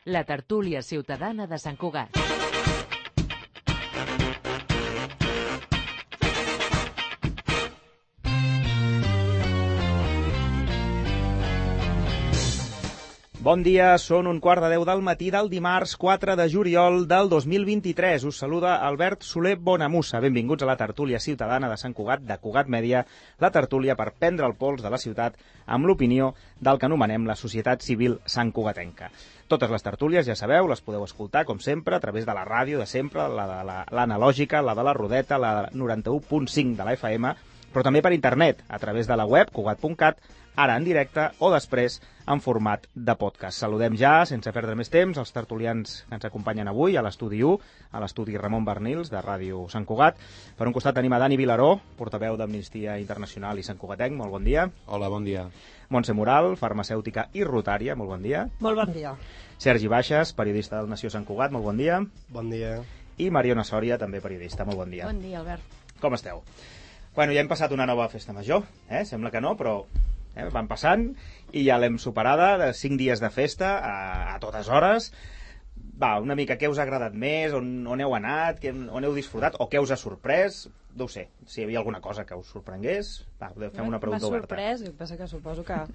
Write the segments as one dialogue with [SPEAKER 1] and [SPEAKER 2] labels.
[SPEAKER 1] la tertúlia ciutadana de Sant Cugat.
[SPEAKER 2] Bon dia, són 9:15 del matí del dimarts 4 de juliol del 2023. Us saluda Albert Soler Bonamussa. Benvinguts a la tertúlia ciutadana de Sant Cugat, de Cugat Mèdia, la tertúlia per prendre el pols de la ciutat amb l'opinió del que anomenem la societat civil santcugatenca. Totes les tertúlies, ja sabeu, les podeu escoltar, com sempre, a través de la ràdio de sempre, l'analògica, la de la Rodeta, la 91.5 de la FM, però també per internet, a través de la web cugat.cat, ara en directe o després en format de podcast. Saludem ja, sense perdre més temps, els tertulians que ens acompanyen avui a l'estudi 1, a l'estudi Ramon Bernils, de Ràdio Sant Cugat. Per un costat tenim a Dani Vilaró, portaveu d'Amnistia Internacional i Sant Cugatenc. Molt bon dia.
[SPEAKER 3] Hola, bon dia.
[SPEAKER 2] Montse Moral, farmacèutica i rotària. Molt bon dia.
[SPEAKER 4] Molt bon dia.
[SPEAKER 2] Sergi Baixes, periodista del Nació Sant Cugat. Molt bon dia.
[SPEAKER 5] Bon dia.
[SPEAKER 2] I Mariona Sòria, també periodista. Molt bon dia.
[SPEAKER 4] Bon dia, Albert.
[SPEAKER 2] Com esteu? Bueno, ja hem passat una nova festa major, sembla que no, però van passant i ja l'hem superada, de 5 dies de festa a totes hores. Va, una mica, què us ha agradat més, on heu anat, on heu disfrutat, o què us ha sorprès? No ho sé, si hi havia alguna cosa que us sorprengués. Va, fem una pregunta oberta.
[SPEAKER 4] M'ha sorprès, el que passa que suposo que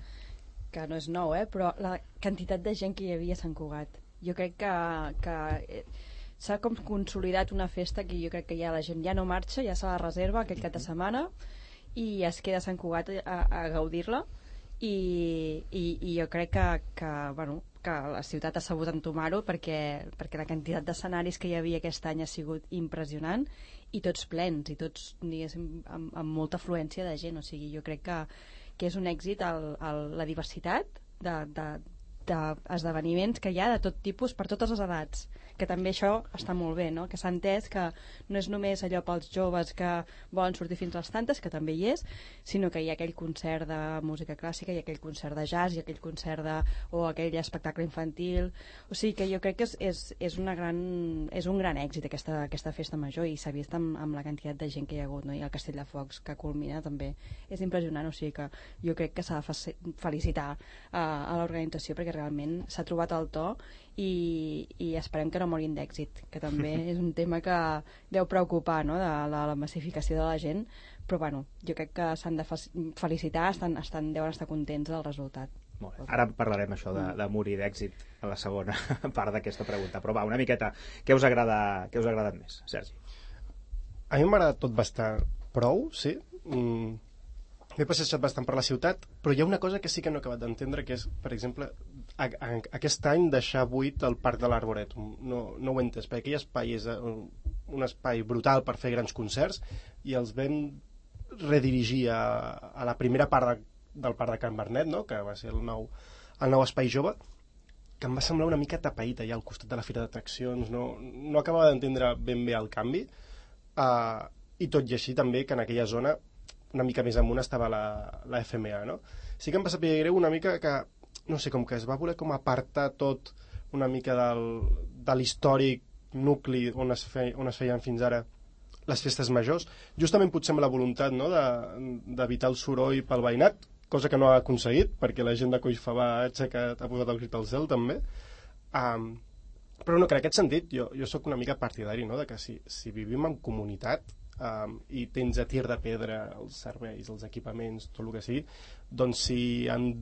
[SPEAKER 4] no és nou, però la quantitat de gent que hi havia a Sant Cugat. Jo crec que s'ha com consolidat una festa que jo crec que ja la gent ja no marxa, ja se la reserva aquest cap de setmana i es queda a Sant Cugat a gaudir-la i jo crec que la ciutat ha sabut entomar-ho perquè la quantitat d'escenaris que hi havia aquest any ha sigut impressionant i tots plens i tots, diguéssim, amb molta afluència de gent, o sigui, jo crec que és un èxit la diversitat d'esdeveniments que hi ha de tot tipus per totes les edats, que també això està molt bé, no? Que s'ha entès que no és només allò pels joves que volen sortir fins a les tantes, que també hi és, sinó que hi ha aquell concert de música clàssica, hi ha aquell concert de jazz, hi ha aquell concert o aquell espectacle infantil, o sigui que jo crec que és un gran èxit aquesta festa major i s'ha vist amb la quantitat de gent que hi ha hagut, no? I el Castell de Focs que culmina també és impressionant, o sigui que jo crec que s'ha de felicitar a l'organització perquè realment s'ha trobat el to i esperem que no morin d'èxit, que també és un tema que deu preocupar, no? de la massificació de la gent, però bueno, jo crec que s'han de felicitar, deuen estar contents del resultat.
[SPEAKER 2] Molt bé. Ara parlarem això de morir d'èxit a la segona part d'aquesta pregunta, però va, una miqueta, què us ha agradat més, Sergi?
[SPEAKER 5] A mi m'ha agradat tot bastant prou, sí. M'he passejat bastant per la ciutat, però hi ha una cosa que sí que no he acabat d'entendre, que és, per exemple, aquest any deixar buit el Parc de l'Arboretum. No ho he entès, perquè aquell espai és un espai brutal per fer grans concerts i els vam redirigir a la primera part del Parc de Can Bernet, no? Que va ser el nou espai jove, que em va semblar una mica tapaït allà al costat de la fira d'atraccions. No acabava d'entendre ben bé el canvi, i tot i així també que en aquella zona una mica més amunt estava la FMA, no? Sí que em va saber greu una mica que, no sé, com que es va voler com apartar tot una mica de l'històric nucli on es feien fins ara les festes majors, justament potser amb la voluntat, no?, d'evitar el soroll pel veïnat, cosa que no ha aconseguit, perquè la gent de Collfabà ha posat el crit al cel, també. Però no, que en aquest sentit jo sóc una mica partidari, no?, de que si vivim en comunitat, i tens a tir de pedra els serveis, els equipaments, tot el que sigui, doncs si en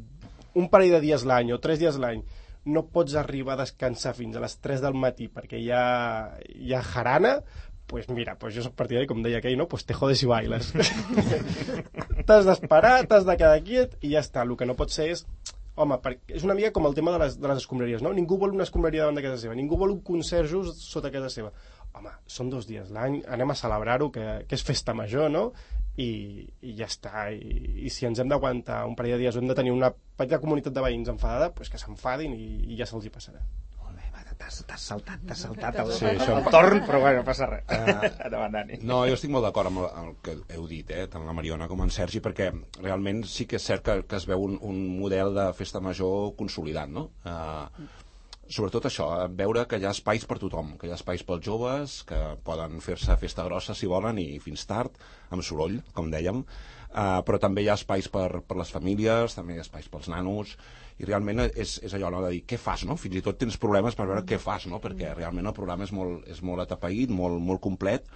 [SPEAKER 5] un parell de dies l'any o 3 dies l'any no pots arribar a descansar fins a les 3 del matí perquè hi ha jarana, pues mira, pues jo soc partidari, com deia aquell, no? Pues te jodes i bailes. T'has d'esperar, t'has de quedar quiet i ja està. El que no pot ser és... Home, és una mica com el tema de les escombraries, no? Ningú vol una escombraria davant de casa seva, ningú vol un concert just sota casa seva. Home, són 2 dies l'any, anem a celebrar-ho, que és festa major, no? I ja està. I si ens hem d'aguantar un parell de dies o hem de tenir una petita comunitat de veïns enfadada, doncs que s'enfadin i ja se'ls hi passarà.
[SPEAKER 2] Molt bé, t'has saltat el torn, però bueno, no passa res. Endavant, Dani.
[SPEAKER 3] No, jo estic molt d'acord amb el que heu dit, tant la Mariona com en Sergi, perquè realment sí que és cert que es veu un model de festa major consolidat, no? Sobretot això, veure que hi ha espais per tothom, que hi ha espais pels joves, que poden fer-se festa grossa si volen i fins tard, amb soroll, com dèiem, però també hi ha espais per les famílies, també hi ha espais pels nanos, i realment és allò, no?, de dir què fas, no? Fins i tot tens problemes per veure què fas, no? Perquè realment el programa és molt atapeït, molt complet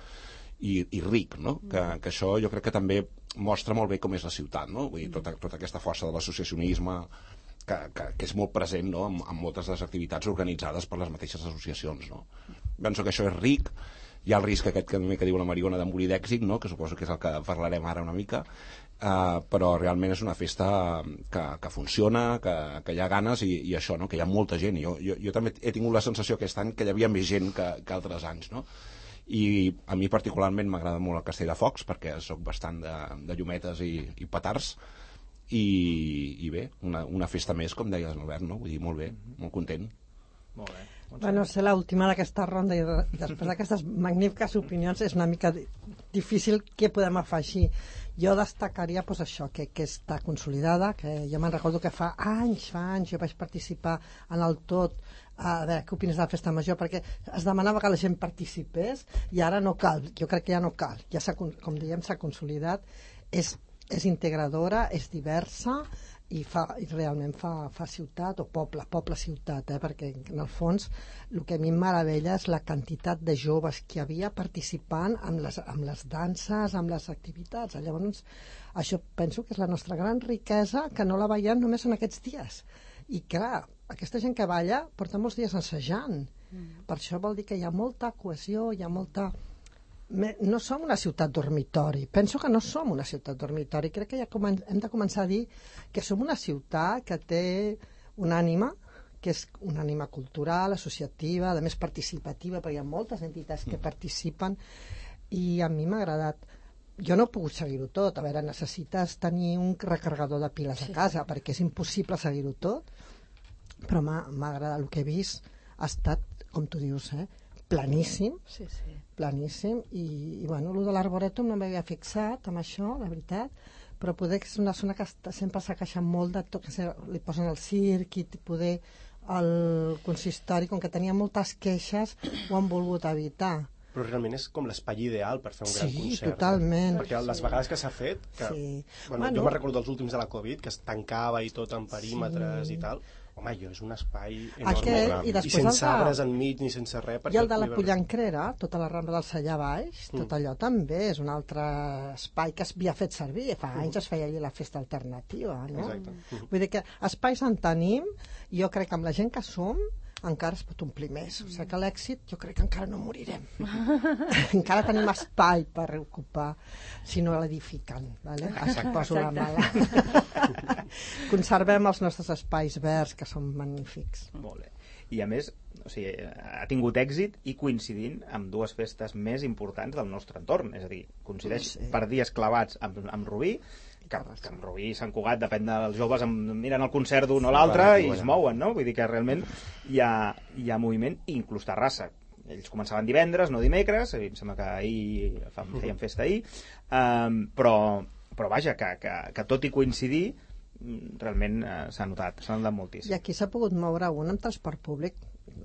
[SPEAKER 3] i ric, no? Que això jo crec que també mostra molt bé com és la ciutat, no? Vull dir, tota aquesta força de l'associacionisme que és molt present, no?, en moltes de les activitats organitzades per les mateixes associacions, no? Penso que això és ric. Hi ha el risc aquest que diu la Mariona de morir d'èxit, no?, que suposo que és el que parlarem ara una mica, però realment és una festa que funciona, que hi ha ganes i això, no?, que hi ha molta gent. Jo també he tingut la sensació aquest any que hi havia més gent que altres anys, no? I a mi particularment m'agrada molt el Castell de Focs, perquè sóc bastant de llumetes i petards, i bé, una festa més, com deies, Albert, no? Vull dir, molt bé, molt content.
[SPEAKER 2] Molt bé.
[SPEAKER 6] Bueno, ser l'última d'aquesta ronda i després d'aquestes magnífiques opinions és una mica difícil què podem afegir. Jo destacaria pues, això, que està consolidada, que jo me'n recordo que fa anys jo vaig participar en el tot, a veure què opines de la festa major, perquè es demanava que la gent participés i ara no cal, jo crec que ja no cal, ja com dèiem s'ha consolidat, és integradora, és diversa i realment fa ciutat o poble-ciutat, perquè en el fons el que a mi em meravella és la quantitat de joves que hi havia participant amb les danses, amb les activitats. Llavors, això penso que és la nostra gran riquesa, que no la veiem només en aquests dies. I clar, aquesta gent que balla porta molts dies assajant. Per això vol dir que hi ha molta cohesió, hi ha molta... No som una ciutat dormitori, penso que no som una ciutat dormitori, crec que ja hem de començar a dir que som una ciutat que té una ànima, que és una ànima cultural, associativa, a més participativa, perquè hi ha moltes entitats que participen i a mi m'ha agradat. Jo no he pogut seguir-ho tot, a veure, necessites tenir un recarregador de piles a casa perquè és impossible seguir-ho tot, però m'ha agradat, el que he vist ha estat, com tu dius, planíssim, planíssim, i bueno, el de l'Arboretum no m'havia fixat amb això, la veritat, però poder que és una zona que sempre s'ha queixat molt de tot, que li posen el circ i poder el consistori, com que tenia moltes queixes, ho han volgut evitar.
[SPEAKER 5] Però realment és com l'espai ideal per fer un gran concert.
[SPEAKER 6] Sí, totalment.
[SPEAKER 5] Perquè les vegades que s'ha fet, que, bueno, jo me'n recordo dels últims de la Covid, que es tancava i tot en perímetres i tal, home, és un espai enorme. I sense arbres enmig ni sense res.
[SPEAKER 6] I el de la Pollancrera, tota la Rambla del Sallà baix, tot allò també és un altre espai que s'havia fet servir. Fa anys es feia allà la festa alternativa, no?
[SPEAKER 5] Exacte.
[SPEAKER 6] Vull dir que espais en tenim, i jo crec que amb la gent que som encara es pot omplir més. O sigui que l'èxit jo crec que encara no morirem. Encara tenim espai per ocupar, si no l'edifiquen. Vale? Poso la mala. Conservem els nostres espais verds, que són magnífics.
[SPEAKER 2] Molt bé. I a més, o sigui, ha tingut èxit i coincidint amb dues festes més importants del nostre entorn. És a dir, coincideix per dies clavats amb Rubí, que en Rubí i Sant Cugat, depèn dels joves, miren el concert d'un o l'altre i es mouen, no? Vull dir que realment hi ha moviment, inclús Terrassa. Ells començaven divendres, no dimecres, em sembla que ahir feien festa ahir, però vaja, que tot i coincidir, realment s'ha notat moltíssim.
[SPEAKER 6] I aquí s'ha pogut moure un amb transport públic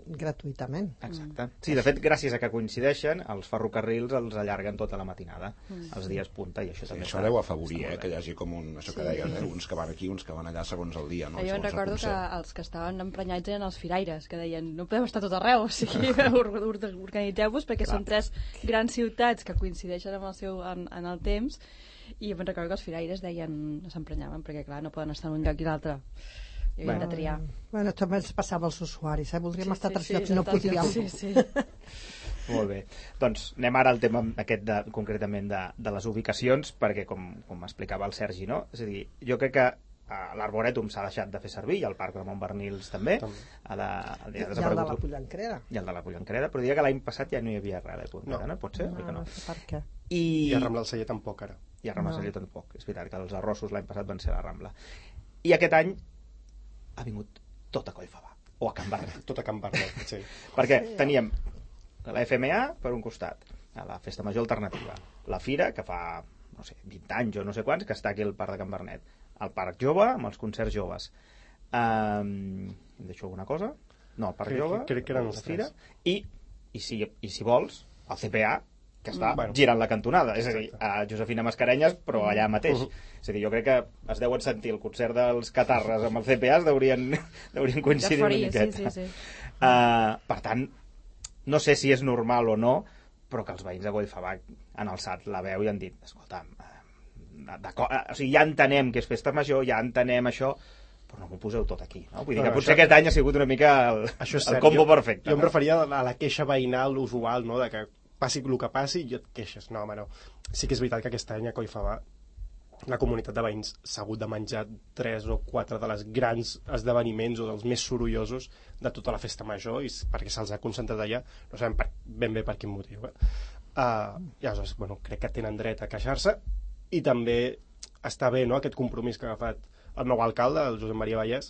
[SPEAKER 6] gratuïtament.
[SPEAKER 2] Exacte. Sí, de fet, gràcies a que coincideixen, els ferrocarrils els allarguen tota la matinada, els dies punta, i això també
[SPEAKER 3] això deu afavorir, que hi hagi com això que deies, uns que van aquí, uns que van allà segons el dia, no?
[SPEAKER 4] Jo recordo que els que estaven emprenyats eren els firaires, que deien, no podem estar tot arreu, o sigui, organitzeu-vos, perquè són tres grans ciutats que coincideixen amb en el temps, i me'n recordo que els firaires deien, s'emprenyaven, perquè clar, no poden estar en un lloc i l'altre. I hem de triar.
[SPEAKER 6] Bueno, també ens passava als usuaris, voldríem estar a tres llocs i no podíem.
[SPEAKER 4] Sí.
[SPEAKER 2] Molt bé. Doncs anem ara al tema aquest concretament de les ubicacions, perquè com explicava el Sergi, no? És a dir, jo crec que l'Arboretum s'ha deixat de fer servir, i el Parc de Montbernils també.
[SPEAKER 6] I el de la Pollancrera.
[SPEAKER 2] I el de la Pollancrera, però diria que l'any passat ja no hi havia res de Pollancrera, no? Pot ser?
[SPEAKER 6] No, per què?
[SPEAKER 5] I a Rambla del Celler tampoc, ara.
[SPEAKER 2] I a Rambla del Celler tampoc. És veritat que els arrossos l'any passat van ser a la Rambla. I aquest any ha vingut tot a Collfabà, o a Can Barnet.
[SPEAKER 5] Tot a Can Barnet, sí.
[SPEAKER 2] Perquè teníem la FMA per un costat, la Festa Major Alternativa, la Fira, que fa, no sé, 20 anys o no sé quants, que està aquí al Parc de Can Barnet, el Parc Jove, amb els concerts joves. Em deixo alguna cosa? No, el Parc Jove,
[SPEAKER 5] crec que eren els
[SPEAKER 2] Fira, i si vols, el CPA, que està girant la cantonada, és a dir, a Josefina Mascarenyes, però allà mateix. És a dir, jo crec que es deuen sentir el concert dels Catarres amb el CPA, deurien coincidir una miqueta.
[SPEAKER 4] Sí.
[SPEAKER 2] Per tant, no sé si és normal o no, però que els veïns de Collfabà han alçat la veu i han dit, escolta'm, o sigui, ja entenem que és festa major, ja entenem això, però no m'ho poseu tot aquí, no? Vull dir que potser aquest any ha sigut una mica el combo perfecte.
[SPEAKER 5] Jo em referia a la queixa veïnal usual, no?, de que passi el que passi i jo et queixes. No, home, no. Sí que és veritat que aquest any a Collfabà la comunitat de veïns s'ha hagut de menjar 3 o 4 de les grans esdeveniments o dels més sorollosos de tota la festa major, i perquè se'ls ha concentrat allà, no sabem ben bé per quin motiu. I aleshores, bueno, crec que tenen dret a queixar-se, i també està bé, no?, aquest compromís que ha agafat el nou alcalde, el Josep Maria Vallès,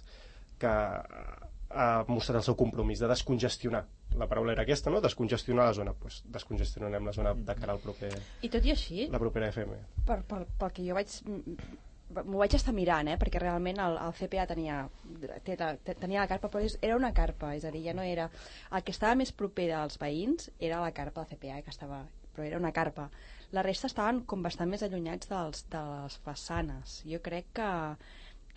[SPEAKER 5] que ha mostrat el seu compromís de descongestionar. La paraula era aquesta, no?, descongestionar la zona. Doncs descongestionarem la zona de cara al proper...
[SPEAKER 4] I tot i així,
[SPEAKER 5] la propera FM.
[SPEAKER 4] Pel que jo m'ho vaig estar mirant, perquè realment el CPA tenia la carpa, però era una carpa, és a dir, ja no era... El que estava més proper als veïns era la carpa del CPA, però era una carpa. La resta estaven com bastant més allunyats de les façanes. Jo crec que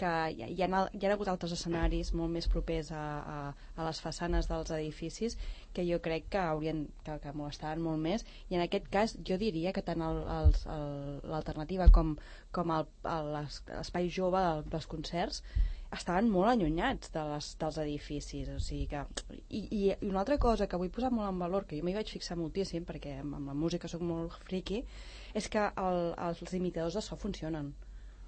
[SPEAKER 4] hi ha hagut altres escenaris molt més propers a les façanes dels edificis que jo crec que que molestaven molt més, i en aquest cas jo diria que tant l'alternativa com l'espai jove dels concerts estaven molt allunyats dels edificis, o sigui que... I una altra cosa que vull posar molt en valor, que jo m'hi vaig fixar moltíssim, perquè amb la música soc molt friqui, és que els limitadors de so funcionen,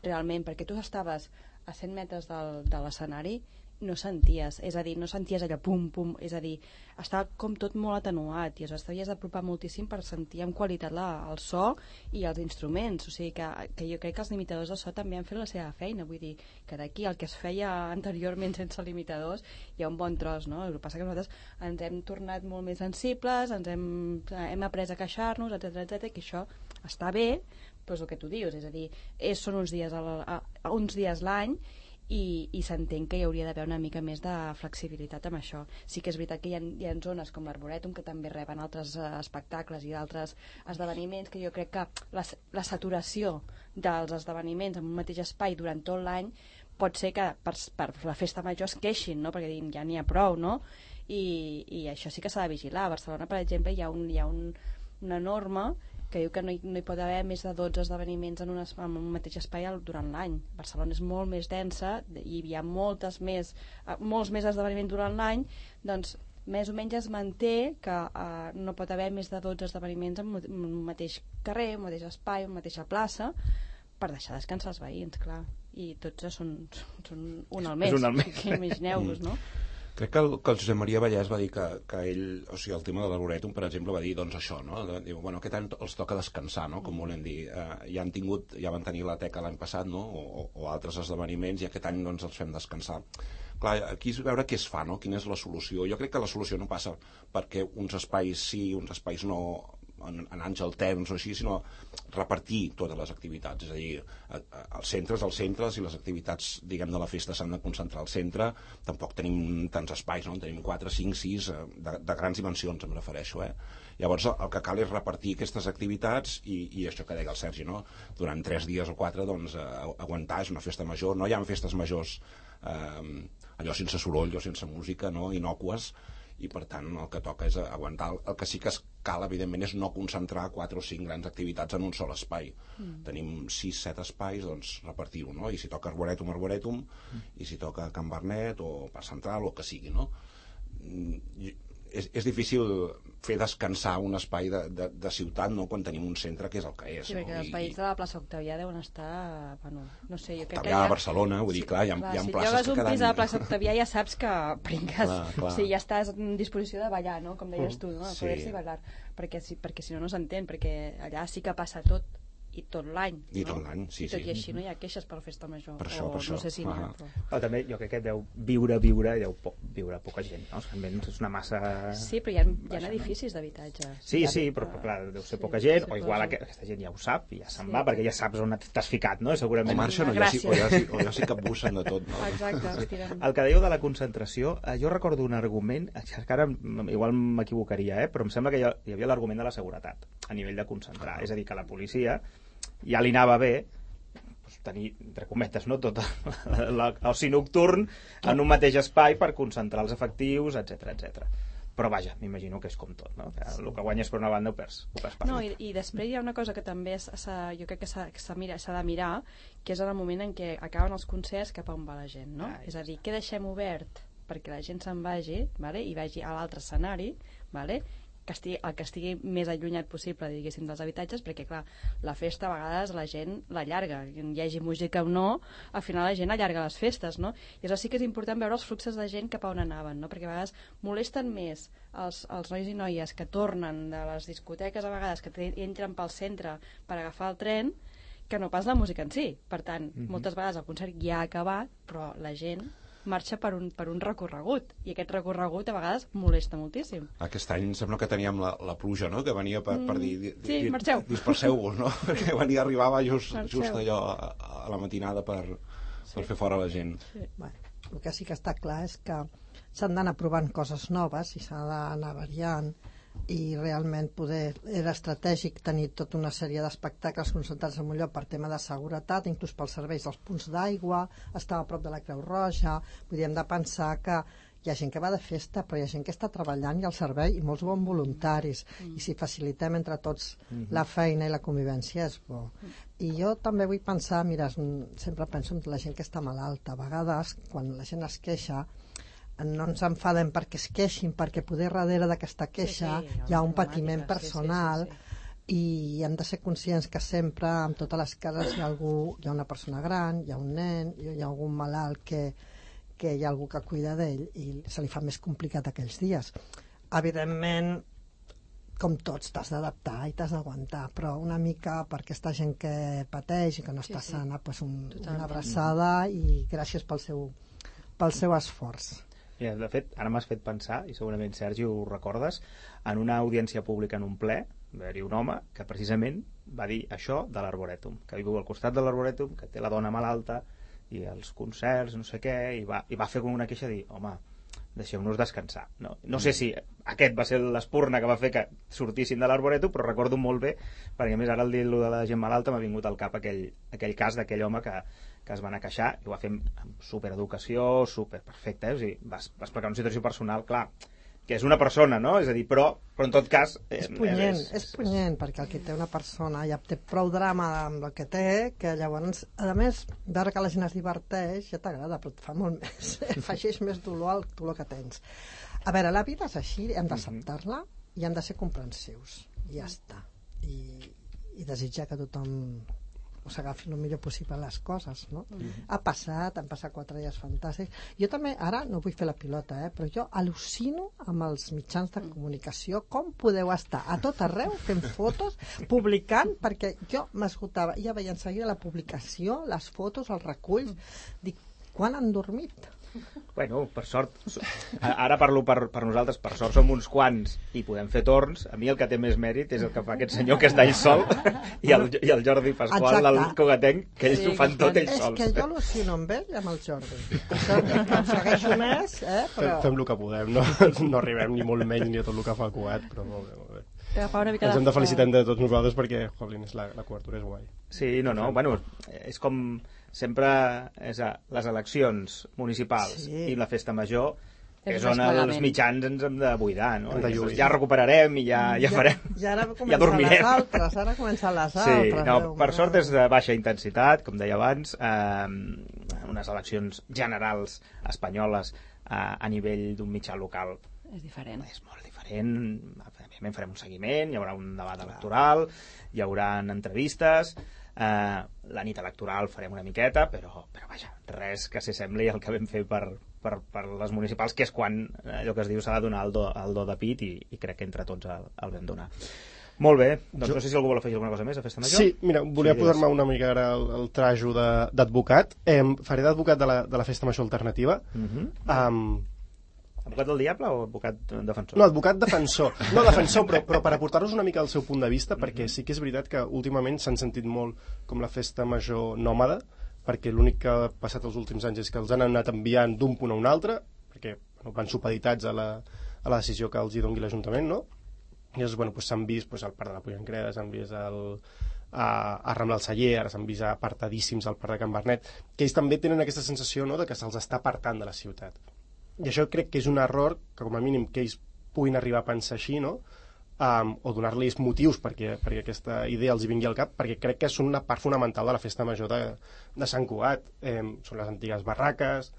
[SPEAKER 4] realment, perquè tu estaves a 100 metres de l'escenari, no senties, és a dir, no senties allò pum, pum, és a dir, estava com tot molt atenuat, i aleshores t'havies d'apropar moltíssim per sentir amb qualitat el so i els instruments, o sigui que jo crec que els limitadors de so també han fet la seva feina, vull dir, que d'aquí el que es feia anteriorment sense limitadors hi ha un bon tros, no? El que passa que nosaltres ens hem tornat molt més sensibles, hem après a queixar-nos, etc, que això està bé, però és el que tu dius, és a dir, són uns dies l'any, i s'entén que hi hauria d'haver una mica més de flexibilitat amb això. Sí que és veritat que hi ha zones com l'Arborètum que també reben altres espectacles i d'altres esdeveniments, que jo crec que la saturació dels esdeveniments en un mateix espai durant tot l'any pot ser que per la festa major es queixin, no?, perquè ja n'hi ha prou, no? I això sí que s'ha de vigilar. A Barcelona, per exemple, hi ha una norma que diu que no hi pot haver més de 12 esdeveniments en un mateix espai durant l'any. Barcelona és molt més densa i hi ha molts més esdeveniments durant l'any, doncs més o menys es manté que no pot haver més de 12 esdeveniments en un mateix carrer, un mateix espai, una mateixa plaça, per deixar descansar els veïns, clar. I tots són un al mes. Imagineu-vos, no?
[SPEAKER 3] Crec que el Josep Maria Vallès va dir que ell, o sigui, el tema de l'Arborètum, per exemple, va dir, doncs això, no? Diu, bueno, aquest any els toca descansar, no?, com volen dir. Ja van tenir la teca l'any passat, no?, o altres esdeveniments, i aquest any, doncs, els fem descansar. Clar, aquí és veure què es fa, no?, quina és la solució. Jo crec que la solució no passa perquè uns espais sí, uns espais no, en anys alterns o així, sinó repartir totes les activitats, és a dir, els centres i les activitats, diguem, de la festa s'han de concentrar al centre. Tampoc tenim tants espais, no? Tenim 4, 5, 6 de grans dimensions, em refereixo, Llavors el que cal és repartir aquestes activitats i això que deia el Sergi, no? Durant 3 dies o 4, doncs, aguantar, és una festa major. No hi ha festes majors allò sense soroll o sense música, no?, innocues, i per tant el que toca és aguantar. El que sí que cal, evidentment, és no concentrar 4 o 5 grans activitats en un sol espai. Tenim 6-7 espais, doncs repartir-ho, no? I si toca Arborètum, i si toca Can Bernet o Parc Central, o que sigui, no? És difícil fer descansar un espai de ciutat, no?, quan tenim un centre que és el que és.
[SPEAKER 4] Sí, perquè els veïns de la plaça Octavià deuen estar... Bueno, no sé, jo crec
[SPEAKER 3] Octavià, a Barcelona, vull dir, clar, hi ha places que queden...
[SPEAKER 4] Si llogues un pis a la plaça Octavià ja saps que brinques, o sigui, ja estàs en disposició de ballar, no?, com deies tu, no?, de poder-s'hi ballar, perquè si no, no s'entén, perquè allà sí que passa tot i tot l'any.
[SPEAKER 3] I tot l'any, sí,
[SPEAKER 4] I tot
[SPEAKER 3] sí.
[SPEAKER 4] i així no hi ha queixes per la festa major.
[SPEAKER 3] Per això.
[SPEAKER 4] No sé si n'hi ha, però...
[SPEAKER 2] Però també jo crec que deu viure poca gent, no? Almenys és una massa...
[SPEAKER 4] Sí, però hi ha edificis d'habitatge.
[SPEAKER 2] Sí, però clar, deu ser poca gent, o igual aquesta gent ja ho sap i ja se'n va, perquè ja saps on t'has ficat, no? Segurament.
[SPEAKER 3] O marxen o ja s'hi capbussen de tot, no?
[SPEAKER 4] Exacte.
[SPEAKER 2] El que dèieu de la concentració, jo recordo un argument, que ara igual m'equivocaria, però em sembla que hi havia l'argument de la seguretat a nivell de concentrar, és a dir, que la policia ja li anava bé tenir, entre cometes, no, tot l'oci nocturn en un mateix espai per concentrar els efectius, etc. Però vaja, m'imagino que és com tot, no? Que el que guanyes per una banda ho perds per
[SPEAKER 4] No, i després hi ha una cosa que també jo crec que s'ha de mirar, que és en el moment en què acaben els concerts cap a on va la gent, no? És a dir, què deixem obert perquè la gent se'n vagi, vale? I vagi a l'altre escenari, vale? El que estigui més allunyat possible, diguéssim, dels habitatges, perquè clar, la festa a vegades la gent l'allarga, hi hagi música o no, al final la gent allarga les festes, no? I això sí que és important veure els fluxos de gent cap a on anaven, no? Perquè a vegades molesten més els nois i noies que tornen de les discoteques, a vegades que entren pel centre per agafar el tren, que no pas la música en si. Per tant, moltes vegades el concert ja ha acabat, però la gent marxa per un recorregut, i aquest recorregut a vegades molesta moltíssim.
[SPEAKER 3] Aquest any sembla que teníem la pluja, no?, que venia per dir...
[SPEAKER 4] Sí, marxeu.
[SPEAKER 3] Disperseu-vos, no?, perquè arribava just allò a la matinada per fer fora la gent.
[SPEAKER 6] Sí. Bueno, el que sí que està clar és que s'han d'anar provant coses noves i s'ha d'anar variant, i realment era estratègic tenir tota una sèrie d'espectacles concentrats en un lloc per tema de seguretat, inclús pels serveis dels punts d'aigua, estava a prop de la Creu Roja. Podríem de pensar que hi ha gent que va de festa, però hi ha gent que està treballant i al servei, i molts bons voluntaris, i si facilitem entre tots la feina i la convivència és bo. I jo també vull pensar, mira, sempre penso en la gent que està malalta. A vegades, quan la gent es queixa, no ens enfadem perquè es queixin, perquè poder darrere d'aquesta queixa hi ha un patiment personal, i hem de ser conscients que sempre en totes les cases hi ha una persona gran, hi ha un nen, hi ha algun malalt que hi ha algú que cuida d'ell i se li fa més complicat aquells dies. Evidentment, com tots, t'has d'adaptar i t'has d'aguantar, però una mica per aquesta gent que pateix i que no està sana, una abraçada i gràcies pel seu esforç.
[SPEAKER 2] Mira, de fet, ara m'has fet pensar, i segurament Sergi ho recordes, en una audiència pública en un ple va haver-hi un home que precisament va dir això de l'Arborètum, que viu al costat de l'Arborètum, que té la dona malalta i els concerts, no sé què, i va fer com una queixa de dir, home, deixeu-nos descansar. No sé si aquest va ser l'espurna que va fer que sortissin de l'Arborètum, però recordo molt bé, perquè a més ara al dir-lo de la gent malalta m'ha vingut al cap aquell cas d'aquell home que es va anar a queixar, i ho va fer amb supereducació, superperfecte, o sigui, va explicar una situació personal, clar, que és una persona, no? És a dir, però en tot cas...
[SPEAKER 6] És punyent, perquè el que té una persona ja té prou drama amb el que té, que llavors, a més, veure que la gent es diverteix, ja t'agrada, però et fa molt més, afegeix més dolor al dolor que tens. A veure, la vida és així, hem d'acceptar-la i hem de ser comprensius, i ja està. I desitjar que tothom s'agafi el millor possible les coses, no? Han passat 4 dies fantàstics. Jo també, ara no vull fer la pilota, però jo al·lucino amb els mitjans de comunicació, com podeu estar a tot arreu fent fotos, publicant, perquè jo m'esgotava, ja veia en seguida la publicació, les fotos, els reculls, dic, quan han dormit?
[SPEAKER 2] Bueno, per sort, ara parlo per nosaltres, per sort som uns quants i podem fer torns. A mi el que té més mèrit és el que fa aquest senyor que està ell sol i el Jordi Pasqual, el cogatenc, que ells ho fan tot ells sols.
[SPEAKER 6] És que jo al·lucino amb ell i amb el Jordi. El segueixo més, però...
[SPEAKER 5] Fem el que podem, no arribem ni molt menys ni a tot el que fa el Cugat, però molt bé. Ens hem de felicitar de tots nosaltres perquè, jolín, la cobertura és guai.
[SPEAKER 2] Sí, bueno, és com sempre les eleccions municipals i la festa major, que és on els mitjans ens hem de buidar, no? Ja recuperarem i ja farem, ja dormirem.
[SPEAKER 6] Ara comencen les altres.
[SPEAKER 2] Sí, per sort és de baixa intensitat, com deia abans, unes eleccions generals espanyoles a nivell d'un mitjà local.
[SPEAKER 4] És diferent.
[SPEAKER 2] És molt diferent. Farem un seguiment, hi haurà un debat electoral, hi haurà entrevistes, la nit electoral farem una miqueta, però vaja, res que s'assembli al que vam fer per les municipals, que és quan allò que es diu s'ha de donar el do de pit, i crec que entre tots el vam donar. Molt bé, doncs no sé si algú vol afegir alguna cosa més a Festa Major.
[SPEAKER 5] Sí, mira, volia posar-me una mica ara el trajo d'advocat. Faré d'advocat de la Festa Major alternativa.
[SPEAKER 2] Advocat del diable o advocat defensor?
[SPEAKER 5] No, advocat defensor. No, defensor, però per aportar-nos una mica el seu punt de vista, perquè sí que és veritat que últimament s'han sentit molt com la Festa Major nòmada, perquè l'únic que ha passat els últims anys és que els han anat enviant d'un punt a un altre, perquè van supeditats a la decisió que els hi doni l'Ajuntament, no? I llavors, s'han vist al Parc de la Pollancreda, s'han vist a Rambla del Celler, ara s'han vist apartadíssims al Parc de Can Bernet, que ells també tenen aquesta sensació, no?, de que se'ls està apartant de la ciutat. I això crec que és un error que, com a mínim, que ells puguin arribar a pensar així, no?, o donar-los motius perquè aquesta idea els hi vingui al cap, perquè crec que són una part fonamental de la Festa Major de Sant Cugat. Són les antigues barraques...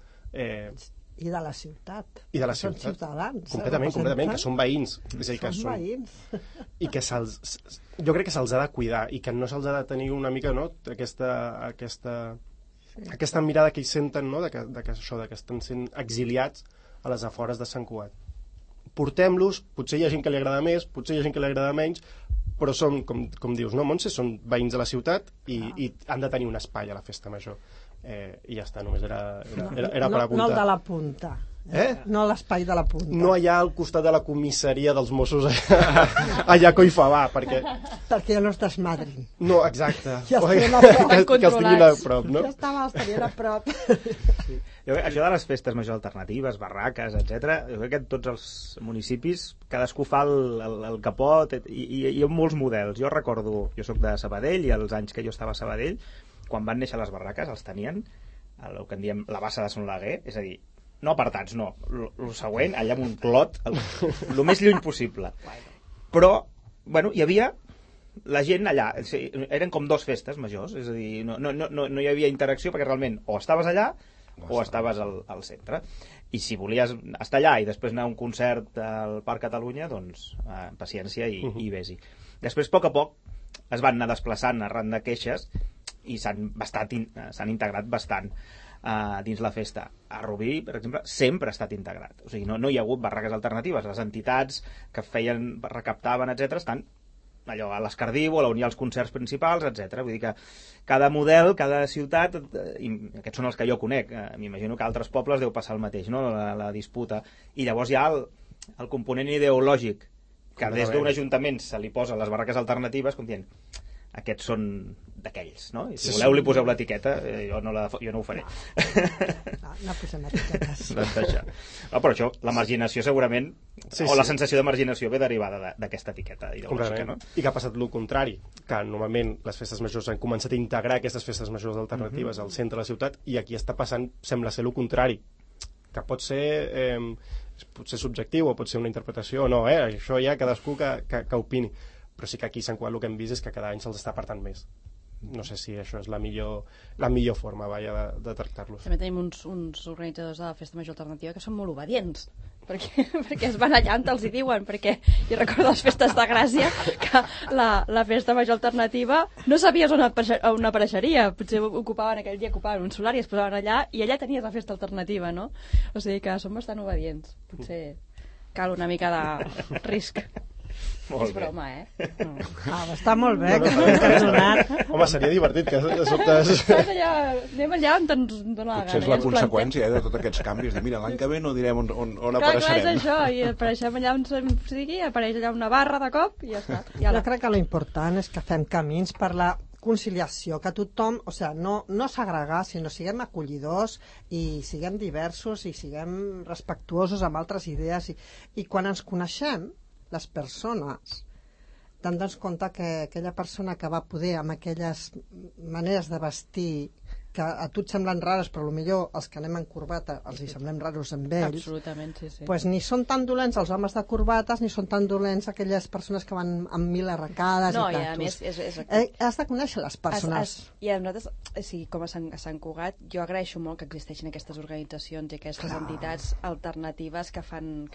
[SPEAKER 6] I de la ciutat.
[SPEAKER 5] I de la
[SPEAKER 6] ciutat. Són ciutadans.
[SPEAKER 5] Completament, que són veïns. És a dir, que
[SPEAKER 6] són veïns.
[SPEAKER 5] I que jo crec que se'ls ha de cuidar i que no se'ls ha de tenir una mica, no?, aquesta mirada que ells senten, no?, que estan sent exiliats a les afores de Sant Cugat. Portem-los, potser hi ha gent que li agrada més, potser hi ha gent que li agrada menys, però són, com dius, no, Montse, són veïns de la ciutat i han de tenir un espai a la Festa Major. I ja està, només era per apuntar.
[SPEAKER 6] No el de la punta. No l'espai de la punta.
[SPEAKER 5] No allà al costat de la comissaria dels Mossos allà a Collfabà, perquè
[SPEAKER 6] ja no es desmadrin.
[SPEAKER 5] No, exacte.
[SPEAKER 6] Ja
[SPEAKER 5] que els tinguin a prop, no?
[SPEAKER 6] Ja estarien a prop.
[SPEAKER 2] Sí. Això de les festes majors alternatives, barraques, etc. Jo crec que en tots els municipis cadascú fa el que pot i hi ha molts models. Jo recordo, jo sóc de Sabadell i els anys que jo estava a Sabadell, quan van néixer les barraques els tenien el que en diem la bassa de Son Laguer, és a dir, no apartats, no, el següent allà amb un clot el més lluny possible, però hi havia la gent allà, eren com dos festes majors, és a dir, no hi havia interacció perquè realment o estaves allà o estaves al centre, i si volies estar allà i després anar a un concert al Parc Catalunya, doncs paciència i vés-hi. Després, a poc es van anar desplaçant arran de queixes i s'han integrat bastant dins la festa. A Rubí, per exemple, sempre ha estat integrat. O sigui, no hi ha hagut barraques alternatives. Les entitats que recaptaven, etc., estan allò a l'Escardiu, a la Unió als concerts principals, etc. Vull dir que cada model, cada ciutat, i aquests són els que jo conec, m'imagino que a altres pobles deu passar el mateix, no?, la disputa. I llavors hi ha el component ideològic, que des d'un ajuntament se li posa les barraques alternatives com dient, aquests són d'aquells, no? I si voleu li poseu l'etiqueta, jo no ho faré.
[SPEAKER 6] No posem etiquetes.
[SPEAKER 2] Però això, la marginació segurament, o la sensació de marginació ve derivada d'aquesta etiqueta ideològica, no?
[SPEAKER 5] I que ha passat el contrari, que normalment les festes majors han començat a integrar aquestes festes majors alternatives al centre de la ciutat, i aquí està passant, sembla ser el contrari, que pot ser subjectiu o pot ser una interpretació o no, això ja cadascú que opini, però sí que aquí a Sant Cugat el que hem vist és que cada any se'ls està apartant més. No sé si això és la millor forma de tractar-los.
[SPEAKER 4] També tenim uns organitzadors de la Festa Major Alternativa que són molt obedients, perquè es van allà on els hi diuen, perquè jo recordo les festes de Gràcia que la Festa Major Alternativa no sabies on apareixeria, potser aquell dia ocupaven un solar i es posaven allà i allà tenies la festa alternativa, no? O sigui que són bastant obedients, potser cal una mica de risc.
[SPEAKER 2] Molt
[SPEAKER 4] és broma,
[SPEAKER 6] està molt bé, que no t'has donat.
[SPEAKER 5] Home, seria divertit que de sobte...
[SPEAKER 4] Anem allà on ens dona la gana.
[SPEAKER 3] Potser és la conseqüència de tots aquests canvis, de mira, l'any que ve no direm on apareixerem.
[SPEAKER 4] Clar, és això, i apareixem allà on sigui, apareix allà una barra de cop i ja està.
[SPEAKER 6] Jo crec que l'important és que fem camins per la conciliació, que tothom, no segregar, sinó siguem acollidors i siguem diversos i siguem respectuosos amb altres idees i quan ens coneixem les persones donar-nos compte que aquella persona que va poder amb aquelles maneres de vestir que a tu et semblen rares però potser els que anem en corbata els hi semblem raros amb ells.
[SPEAKER 4] Absolutament, sí.
[SPEAKER 6] Pues ni són tan dolents els homes de corbates ni són tan dolents aquelles persones que van amb 1000 arracades
[SPEAKER 4] no,
[SPEAKER 6] i
[SPEAKER 4] a més
[SPEAKER 6] has de conèixer les persones.
[SPEAKER 4] I a nosaltres, com a Sant Cugat, jo agraeixo molt que existeixin aquestes organitzacions i aquestes entitats alternatives que fan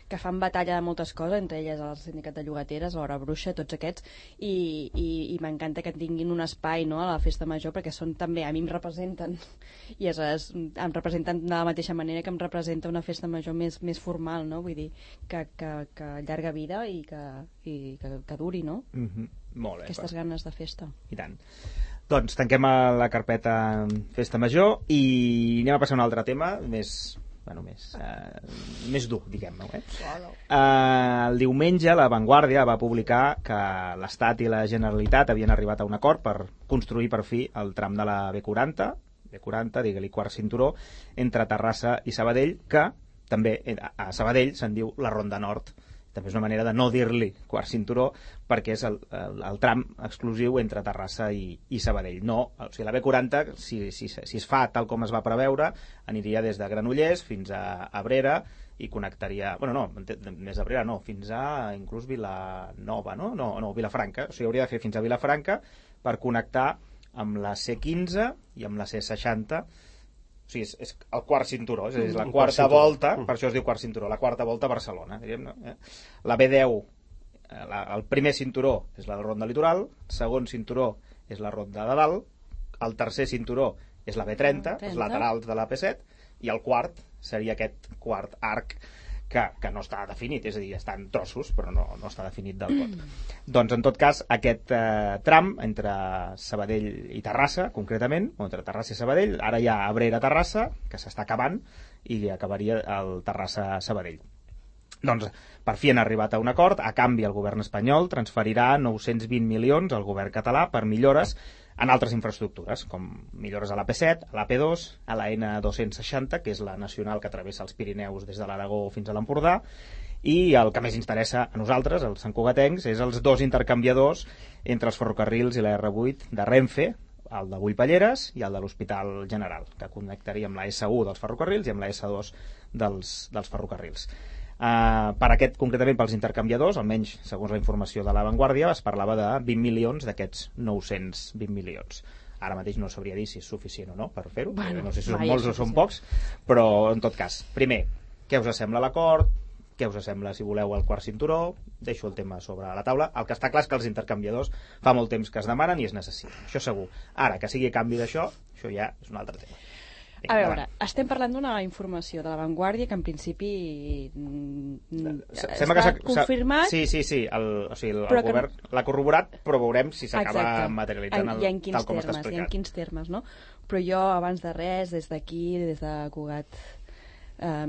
[SPEAKER 4] que fan batalla de moltes coses, entre elles el sindicat de llogateres, l'Hora Bruixa, tots aquests, i m'encanta que tinguin un espai, no?, a la festa major, perquè són també, a mi em representen, i aleshores em representen de la mateixa manera que em representa una festa major més formal, no?, vull dir, que llarga vida i que duri, no?
[SPEAKER 2] Molt bé.
[SPEAKER 4] Aquestes ganes de festa.
[SPEAKER 2] I tant. Doncs tanquem la carpeta Festa Major i anem a passar a un altre tema més dur, diguem-ne. El diumenge La Vanguardia va publicar que l'Estat i la Generalitat havien arribat a un acord per construir per fi el tram de la B40, digue-li quart cinturó, entre Terrassa i Sabadell, que també a Sabadell se'n diu la Ronda Nord. També és una manera de no dir-li quart cinturó, perquè és el tram exclusiu entre Terrassa i Sabadell. No, o sigui, la B40, si es fa tal com es va preveure, aniria des de Granollers fins a Abrera i connectaria... Bueno, no, més d'Abrera no, fins a inclús Vilanova, no? No, Vilafranca. O sigui, hauria de fer fins a Vilafranca per connectar amb la C15 i amb la C60. O sigui, és el quart cinturó, és la quarta volta, per això es diu quart cinturó, la quarta volta a Barcelona. La B10, el primer cinturó és la ronda litoral, el segon cinturó és la ronda de dalt, el tercer cinturó és la B30, els laterals de la P7, i el quart seria aquest quart arc que no està definit, és a dir, està en trossos, però no està definit del tot. Doncs, en tot cas, aquest tram entre Sabadell i Terrassa, concretament, o entre Terrassa i Sabadell, ara hi ha Abrera-Terrassa, que s'està acabant, i acabaria el Terrassa-Sabadell. Doncs, per fi han arribat a un acord. A canvi, el govern espanyol transferirà 920 milions al govern català per millores en altres infraestructures, com millores a la P7, a la P2, a la N260, que és la nacional que travessa els Pirineus des de l'Aragó fins a l'Empordà, i el que més interessa a nosaltres, els santcugatencs, és els dos intercanviadors entre els ferrocarrils i la R8 de Renfe, el de Bullpalleres i el de l'Hospital General, que connectaria amb la S1 dels ferrocarrils i amb la S2 dels ferrocarrils. Per aquest, concretament pels intercanviadors, almenys segons la informació de La Vanguardia, es parlava de 20 milions d'aquests 920 milions. Ara mateix no sabria dir si és suficient o no per fer-ho, no sé si són molts o són pocs, però en tot cas, primer, què us sembla l'acord? Què us sembla, si voleu, el quart cinturó? Deixo el tema sobre la taula. El que està clar és que els intercanviadors fa molt temps que es demanen i es necessiten, això segur. Ara, que sigui a canvi d'això, això ja és un altre tema.
[SPEAKER 4] A veure, estem parlant d'una informació de La Vanguardia que en principi està confirmat.
[SPEAKER 2] Sí, o sigui, el govern l'ha corroborat, però veurem si s'acaba materialitzant tal com està explicat.
[SPEAKER 4] I en quins termes, no? Però jo, abans de res, des d'aquí, des de Cugat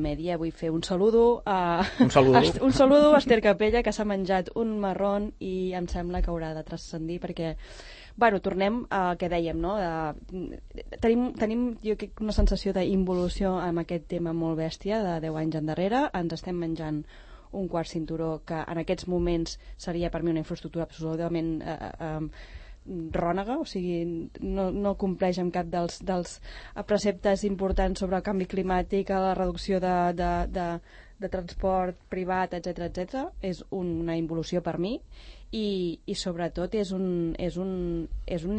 [SPEAKER 4] Mèdia, vull fer un saludo a Esther Capella, que s'ha menjat un marrón i em sembla que haurà de transcendir, perquè tornem al que dèiem, no? Tenim jo crec, una sensació d'involució amb aquest tema molt bèstia de 10 anys endarrere. Ens estem menjant un quart cinturó que en aquests moments seria per mi una infraestructura absolutament rònega, o sigui, no compleix amb cap dels preceptes importants sobre el canvi climàtic, la reducció de transport privat, etc. És una involució per mi. I sobretot és un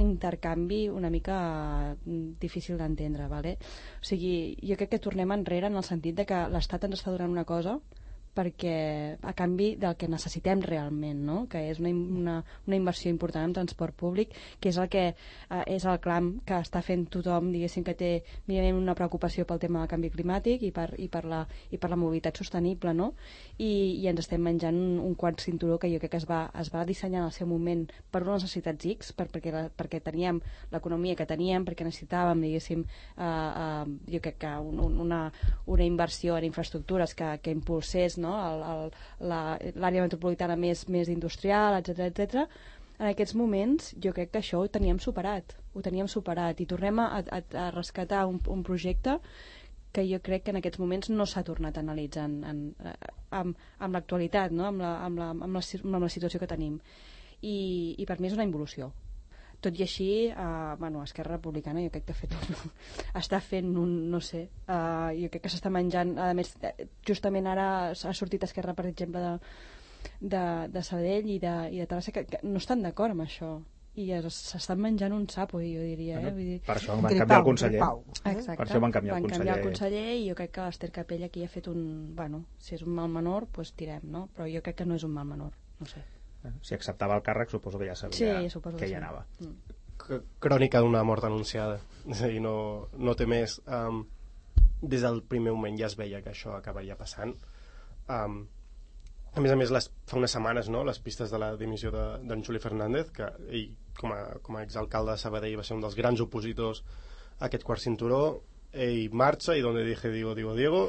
[SPEAKER 4] intercanvi una mica difícil d'entendre, vale? O sigui, jo crec que tornem enrere en el sentit de que l'Estat ens està donant una cosa perquè a canvi del que necessitem realment, no? Que és una inversió important en transport públic, que és el que és el clam que està fent tothom, diguéssim, que té mínimament una preocupació pel tema del canvi climàtic i per la mobilitat sostenible, no? I ens estem menjant un quart cinturó que jo crec que es va dissenyar en el seu moment per unes necessitats X, perquè teníem l'economia que teníem, perquè necessitàvem, diguéssim, jo crec que una inversió en infraestructures que impulsés, no? L'àrea metropolitana més industrial, etc. En aquests moments jo crec que això ho teníem superat i tornem a rescatar un projecte que jo crec que en aquests moments no s'ha tornat a analitzar amb l'actualitat, no? amb la situació que tenim, i per mi és una involució. Tot i així, Esquerra Republicana jo crec que està fent no sé, jo crec que s'està menjant, a més, justament ara ha sortit Esquerra, per exemple, de Sabadell i de Terrassa, que no estan d'acord amb això, i s'estan menjant un sapo, jo diria. Vull dir...
[SPEAKER 2] Per això van canviar el conseller.
[SPEAKER 4] Exacte.
[SPEAKER 2] Per això van canviar el
[SPEAKER 4] conseller i jo crec que l'Ester Capella aquí ha fet un... Bueno, si és un mal menor, doncs tirem, no? Però jo crec que no és un mal menor, no sé.
[SPEAKER 2] Si acceptava el càrrec, suposo que ja sabia que hi anava.
[SPEAKER 5] Crònica d'una mort anunciada. És a dir, no té més. Des del primer moment ja es veia que això acabaria passant. A més, fa unes setmanes, no?, les pistes de la dimissió d'en Juli Fernández, que ell, com a exalcalde de Sabadell, va ser un dels grans opositors a aquest quart cinturó. Ell marxa i donde dije Diego,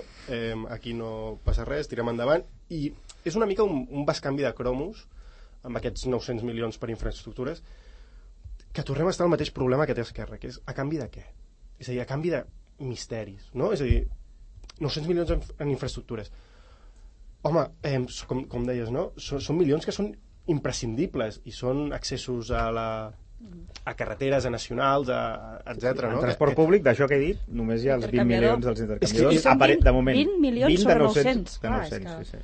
[SPEAKER 5] aquí no passa res, tirem endavant. I és una mica un bescanvi de cromos amb aquests 900 milions per infraestructures, que tornem a estar al mateix problema que té Esquerra, que és a canvi de què? És a dir, a canvi de misteris, no? És a dir, 900 milions en infraestructures. Home, com deies, no? Són milions que són imprescindibles i són accessos a carreteres, a nacionals, etc.
[SPEAKER 2] En transport públic, d'això que he dit, només hi ha els 20 milions dels intercanviadors.
[SPEAKER 4] De moment. 20 milions sobre 900.
[SPEAKER 2] De 900, sí.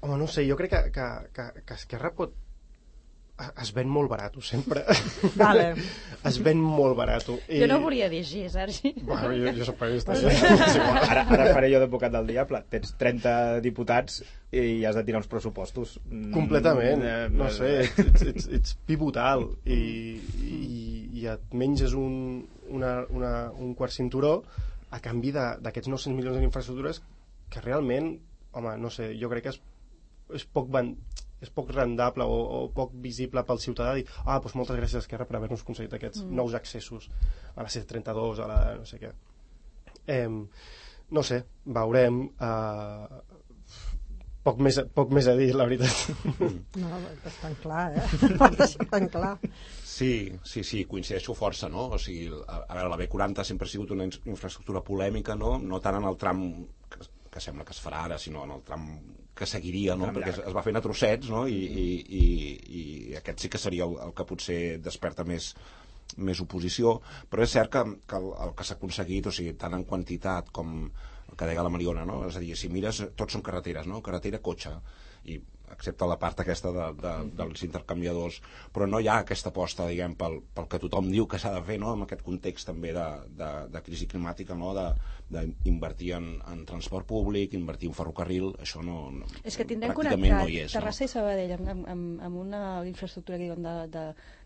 [SPEAKER 5] Home, no sé, jo crec que Esquerra es ven molt barat, sempre.
[SPEAKER 6] Vale.
[SPEAKER 5] Es ven molt barat.
[SPEAKER 4] Jo no volia dir així, Sergi.
[SPEAKER 5] Bueno, jo soc periodista.
[SPEAKER 2] Ara faré jo d'advocat del diable. Tens 30 diputats i has de tirar uns pressupostos.
[SPEAKER 5] Completament. No sé, ets pivotal. I et menges un quart cinturó a canvi d'aquests 900 milions en infraestructures que realment, home, no sé, jo crec que és poc rendable o poc visible pel ciutadà dir, doncs moltes gràcies Esquerra per haver-nos aconseguit aquests nous accessos a la C32, a la no sé què. No sé, veurem. Poc més a dir, la veritat.
[SPEAKER 6] No, és tan clar, és tan clar.
[SPEAKER 3] Sí, coincideixo força, no? O sigui, a veure, la B40 sempre ha sigut una infraestructura polèmica, no? No tant en el tram que sembla que es farà ara, sinó en el tram que seguiria, no? Perquè es va fent a trossets, no? I aquest sí que seria el que potser desperta més oposició, però és cert que el que s'ha aconseguit, o sigui, tant en quantitat com el que deia la Mariona, no? És a dir, si mires, tots són carreteres, no? Carretera, cotxe, i excepte la part aquesta dels intercanviadors, però no hi ha aquesta aposta, diguem, pel que tothom diu que s'ha de fer, no? En aquest context també de crisi climàtica, no? D'invertir en transport públic, invertir en ferrocarril, això no
[SPEAKER 4] és que tindrem
[SPEAKER 3] pràcticament no hi és.
[SPEAKER 4] Terrassa i Sabadell amb una infraestructura que diuen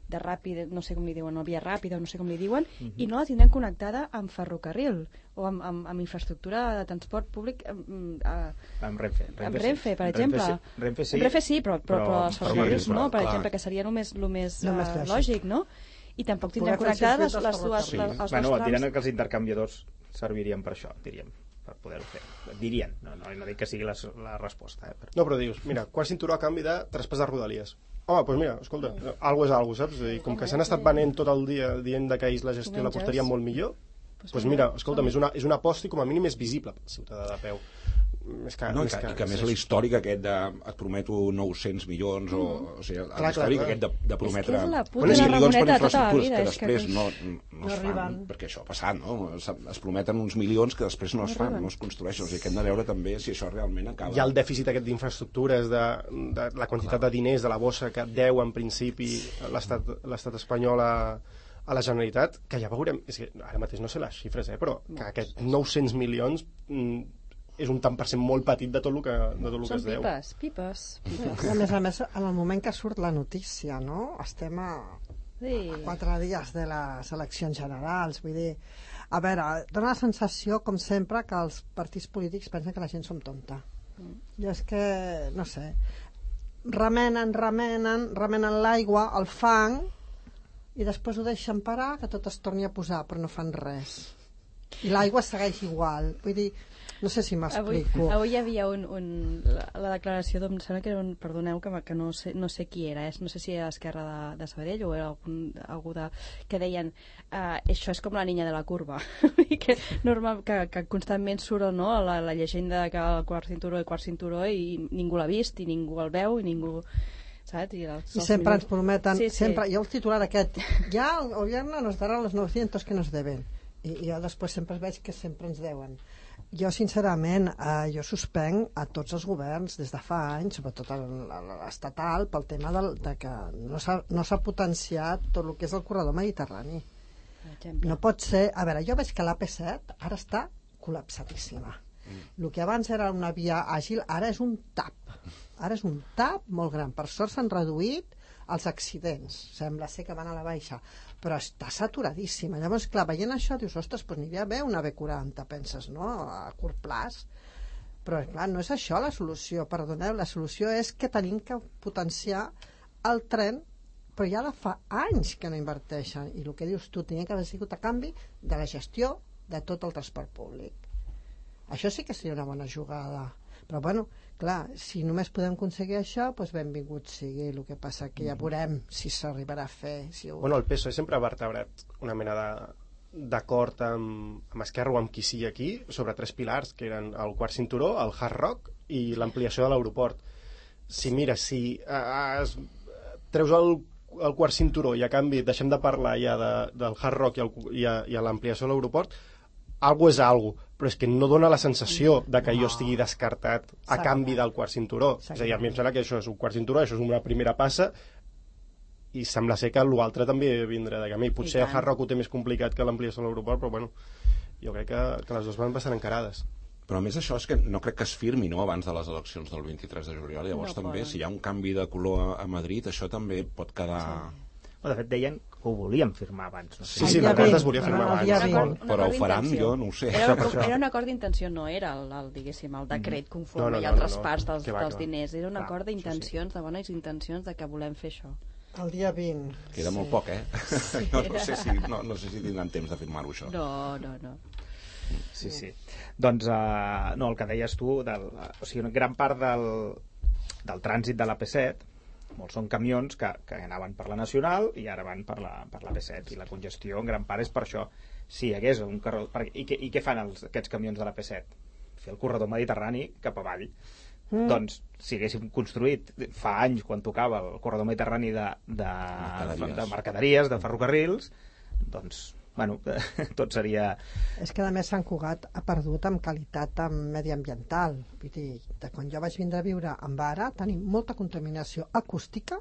[SPEAKER 4] de ràpid, no sé com li diuen, o via ràpida, no sé com li diuen, i no la tindrem connectada amb ferrocarril o amb infraestructura de transport públic amb Renfe, per exemple. Renfe sí, però els ferrocarrils no, per exemple, que seria el més lògic, no? I tampoc tindrem connectades les dues...
[SPEAKER 2] Bueno, dirien que els intercanviadors servirien per això, diríem, per poder-ho fer. Dirien, no dic que sigui la resposta.
[SPEAKER 5] No, però dius, mira, quart cinturó a canvi de traspàs de Rodalies. Home, doncs mira, escolta, algo és algo, saps? Com que s'han estat venent tot el dia dient que ells la gestió la postaria molt millor, doncs mira, escolta'm, és una aposta i com a mínim és visible pel ciutadà de peu. I que
[SPEAKER 3] a més l'històric aquest de et prometo 900 milions o sigui, l'històric aquest de prometre milions per infraestructures que després no es fan, perquè això ha passat, no? Es prometen uns milions que després no es fan, no es construeixen, o sigui que hem de veure també si això realment acaba.
[SPEAKER 5] Hi ha el dèficit aquest d'infraestructures, de la quantitat de diners de la bossa que deu en principi l'estat espanyol a la Generalitat, que ja veurem, és que ara mateix no sé les xifres, però que aquests 900 milions és un tant per cent molt petit de tot el que es deu.
[SPEAKER 4] Són pipes.
[SPEAKER 6] A més, en el moment que surt la notícia, no? Estem a 4 dies de les eleccions generals, vull dir, a veure, dona la sensació, com sempre, que els partits polítics pensen que la gent som tonta. Jo és que, no sé, remenen l'aigua, el fang, i després ho deixen parar, que tot es torni a posar, però no fan res. I l'aigua segueix igual, vull dir, no sé si m'explico.
[SPEAKER 4] Avui hi havia la declaració em sembla que era perdoneu que no sé qui era, no sé si era Esquerra de Sabadell o era algú que deien això és com la niña de la curva que constantment surt la llegenda que el quart cinturó i ningú l'ha vist i ningú el veu i ningú... saps?
[SPEAKER 6] I sempre ens prometen sempre, jo el titular aquest ja el gobierno nos dará los 900 que nos deben i jo després sempre veig que sempre ens deuen Jo, sincerament, jo suspenc a tots els governs des de fa anys, sobretot l'estatal, pel tema de que no s'ha potenciat tot el que és el corredor mediterrani. No pot ser... A veure, jo veig que l'AP7 ara està col·lapsadíssima. El que abans era una via àgil, ara és un tap. Ara és un tap molt gran. Per sort s'han reduït els accidents. Sembla ser que van a la baixa. Però està saturadíssima. Llavors, clar, veient això, dius, ostres, doncs n'hi havia bé una B40, penses, no? A curt plaç. Però, clar, no és això la solució, perdoneu. La solució és que tenim que potenciar el tren, però ja de fa anys que no inverteixen. I el que dius tu, tenia que haver sigut a canvi de la gestió de tot el transport públic. Això sí que seria una bona jugada. Però, bueno, clar, si només podem aconseguir això, doncs benvingut sigui. El que passa que ja veurem si s'arribarà a fer.
[SPEAKER 5] Bueno, el PSOE sempre ha vertebrat una mena d'acord amb Esquerra o amb qui sigui aquí sobre 3 pilars, que eren el quart cinturó, el Hard Rock i l'ampliació de l'aeroport. Si treus el quart cinturó i a canvi deixem de parlar ja del Hard Rock i l'ampliació de l'aeroport, algo és algo, però és que no dona la sensació de que jo estigui descartat a canvi del quart cinturó. És a dir, a mi em sembla que això és un quart cinturó, això és una primera passa, i sembla ser que l'altre també vindrà de camí. Potser el Hard Rock ho té més complicat que l'ampliació de l'aeroport, però bueno, jo crec que les dues van bastant encarades.
[SPEAKER 3] Però a més això és que no crec que es firmi, no?, abans de les eleccions del 23 de juliol. Llavors també, si hi ha un canvi de color a Madrid, això també pot quedar...
[SPEAKER 2] De fet, deien que ho volien firmar abans. No sé.
[SPEAKER 5] Sí, l'acord es volia firmar abans.
[SPEAKER 3] Però ho faran, jo no ho sé.
[SPEAKER 4] Era un acord d'intenció, no era diguéssim, el decret conforme i el traspàs dels diners. Era un acord d'intencions, de bones intencions, de que volem fer això.
[SPEAKER 6] El dia 20.
[SPEAKER 3] Queda molt poc, eh? Jo no sé si tindran temps de firmar-ho, això.
[SPEAKER 4] No.
[SPEAKER 2] Sí. Doncs, no, el que deies tu, o sigui, una gran part del trànsit de l'AP7, molts són camions que anaven per la Nacional i ara van per la P7, i la congestió en gran part és per això. Si hi hagués un corredor... I què fan aquests camions de la P7? Fer el corredor mediterrani cap avall. Doncs, si haguéssim construït fa anys, quan tocava el corredor mediterrani de mercaderies, de ferrocarrils, doncs, bueno, tot seria...
[SPEAKER 6] És que a més Sant Cugat ha perdut en qualitat mediambiental. Vull dir, quan jo vaig vindre a viure en Vara tenim molta contaminació acústica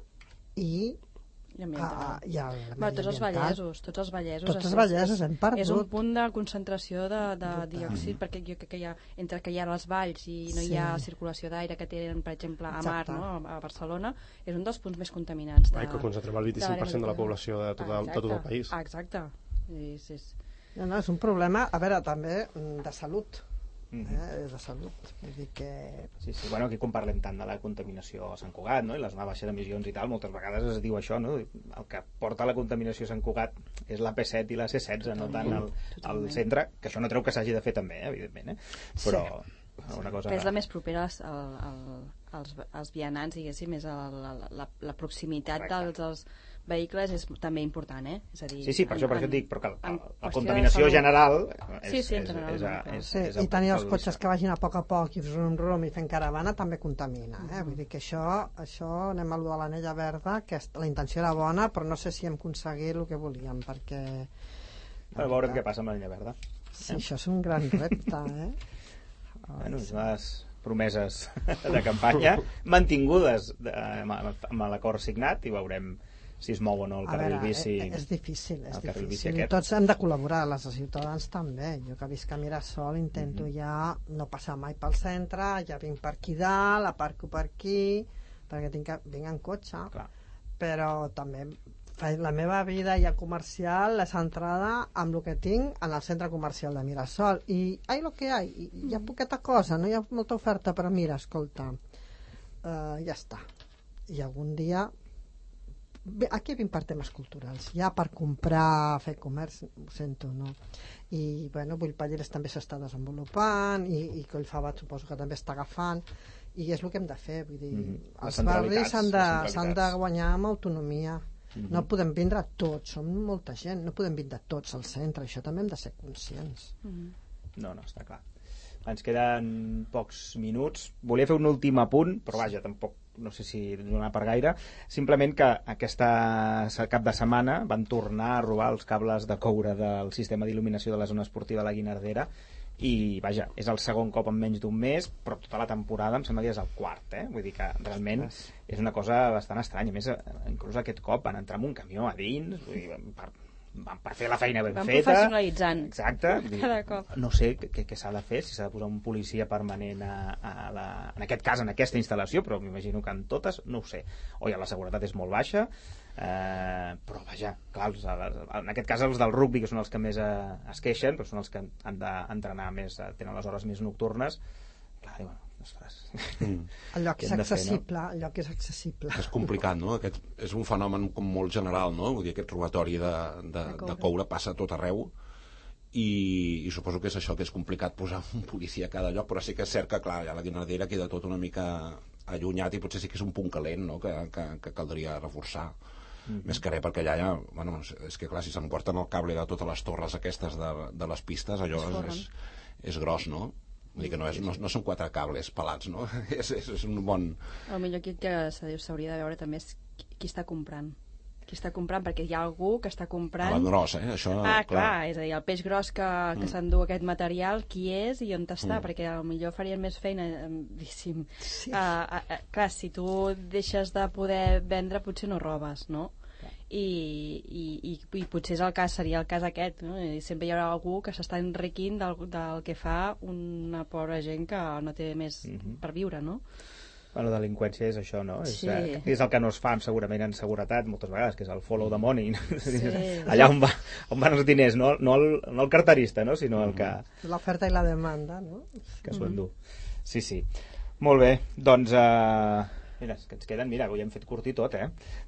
[SPEAKER 6] i
[SPEAKER 4] tots els vallesos
[SPEAKER 6] hem perdut.
[SPEAKER 4] És un punt de concentració de diòxid, perquè jo crec que entre que hi ha les valls i no hi ha circulació d'aire que tenen, per exemple, a Mar, no? A Barcelona, és un dels punts més contaminants.
[SPEAKER 5] Que concentrem el 25% de la població de tot el país.
[SPEAKER 4] Exacte.
[SPEAKER 6] No, és un problema, a veure, també de salut. De salut. Vull dir que...
[SPEAKER 2] Sí, bueno, aquí quan parlem tant de la contaminació a Sant Cugat, no?, i la baixa d'emissions i tal, moltes vegades es diu això, no?, el que porta la contaminació a Sant Cugat és la P7 i la C16, no tant el centre, que això no treu que s'hagi de fer també, evidentment, però una cosa...
[SPEAKER 4] Però és la més propera als vianants, diguéssim, és la proximitat dels vehicles és també important, és a dir...
[SPEAKER 2] Sí, per això et dic, però que la contaminació general és
[SPEAKER 6] i tenir els cotxes que vagin a poc i rum i fent caravana també contamina, vull dir que això anem a lo de l'anella verda, que la intenció era bona, però no sé si hem aconseguit el que volíem, perquè...
[SPEAKER 2] Però veurem què passa amb l'anella verda.
[SPEAKER 6] Sí, això és un gran repte,
[SPEAKER 2] Bueno, les promeses de campanya mantingudes amb l'acord signat, i veurem si es mou o no el carril bici.
[SPEAKER 6] És difícil. I tots hem de col·laborar, les ciutadans també. Jo que visc a Mirasol intento ja no passar mai pel centre, ja vinc per aquí dalt, aparco per aquí, perquè vinc en cotxe. Clar. Però també la meva vida ja comercial és centrada amb el que tinc en el centre comercial de Mirasol. I lo que hi ha poqueta cosa, no hi ha molta oferta, però mira, escolta, ja està. I algun dia... Aquí vinc per temes culturals, ja per comprar, fer comerç, ho sento, no? I, bueno, Bullpalleres també s'està desenvolupant, i Collfabat suposo que també està agafant, i és el que hem de fer, vull dir, els barris s'han de guanyar amb autonomia. No podem vindre tots, som molta gent, no podem vindre tots al centre, això també hem de ser conscients.
[SPEAKER 2] No, està clar. Ens queden pocs minuts. Volia fer un últim apunt, però vaja, tampoc no sé si donar per gaire. Simplement que aquesta cap de setmana van tornar a robar els cables de coure del sistema d'il·luminació de la zona esportiva de la Guinardera, i vaja, és el segon cop en menys d'un mes, però tota la temporada em sembla que és el quart, vull dir que realment és una cosa bastant estranya. A més, inclús aquest cop van entrar amb un camió a dins, vull dir, per fer la feina ben feta.
[SPEAKER 4] Van professionalitzant.
[SPEAKER 2] Exacte.
[SPEAKER 4] Cada cop.
[SPEAKER 2] No sé què s'ha de fer, si s'ha de posar un policia permanent en aquest cas, en aquesta instal·lació, però m'imagino que en totes, no ho sé. La seguretat és molt baixa, però vaja, clar, en aquest cas els del rugbi, que són els que més es queixen, però són els que han d'entrenar més, tenen les hores més nocturnes, clar, diuen, ostres,
[SPEAKER 6] el lloc és accessible, el lloc és accessible.
[SPEAKER 3] És complicat, no? Aquest és un fenomen com molt general, no? Vull dir, aquest robatori de coure passa a tot arreu, i suposo que és això, que és complicat posar un policia a cada lloc, però sí que és cert que, clar, ja la Guinardera queda tot una mica allunyat i potser sí que és un punt calent, no?, que caldria reforçar. Més que res, perquè allà ja, bueno, és que clar, si s'emporten el cable de totes les torres aquestes de les pistes, allò és gros, no? Vull dir que no són 4 cables pelats, no? És un bon...
[SPEAKER 4] El millor aquí que s'hauria de veure també és qui està comprant. Qui està comprant, perquè hi ha algú que està comprant...
[SPEAKER 3] El gros, això...
[SPEAKER 4] clar, és a dir, el peix gros que s'endú aquest material, qui és i on està, perquè potser farien més feina, diguéssim. Sí. Clar, si tu deixes de poder vendre, potser no robes, no? I potser seria el cas aquest, no? I sempre hi haurà algú que s'està enriquint del que fa una pobra gent que no té més per viure, no?
[SPEAKER 2] La delinqüència és això, no?
[SPEAKER 4] Sí.
[SPEAKER 2] És el que no es fa segurament en seguretat moltes vegades, que és el follow the money. Sí. Allà on van els diners, no el carterista, no? Sinó el que...
[SPEAKER 6] L'oferta i la demanda, no?
[SPEAKER 2] Que s'ho endú. Sí. Molt bé, doncs... Mira, que ens queden, avui hem fet curt i tot,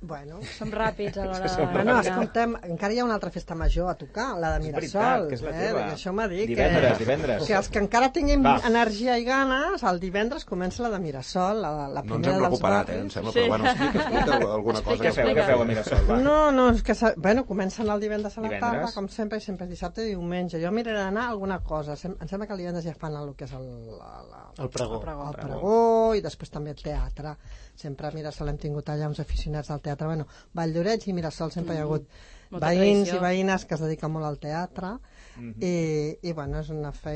[SPEAKER 6] Bueno.
[SPEAKER 4] Som ràpids a l'hora de...
[SPEAKER 6] Bueno, escoltem, encara hi ha una altra festa major a tocar, la de Mirasol.
[SPEAKER 2] És veritat, que és la teva.
[SPEAKER 6] Això m'ha dit
[SPEAKER 2] divendres.
[SPEAKER 6] Que els que encara tinguin energia i ganes, el divendres comença la de Mirasol, la primera dels barris.
[SPEAKER 3] No ens hem recuperat, em sembla, però bueno, explica alguna cosa.
[SPEAKER 2] Què feu a Mirasol?
[SPEAKER 6] No, és que... Bueno, comencen el divendres a la tarda, com sempre, i sempre és dissabte i diumenge. Jo miraré d'anar a alguna cosa. Em sembla que el divendres ja fan el que és
[SPEAKER 5] el pregó.
[SPEAKER 6] El pregó, i després també el teatre. Sempre a Mirasol hem tingut allà uns aficionats al teatre. Bueno, Valldoreix i Mirasol sempre hi ha hagut veïns i veïnes que es dediquen molt al teatre. I bueno, és una fe...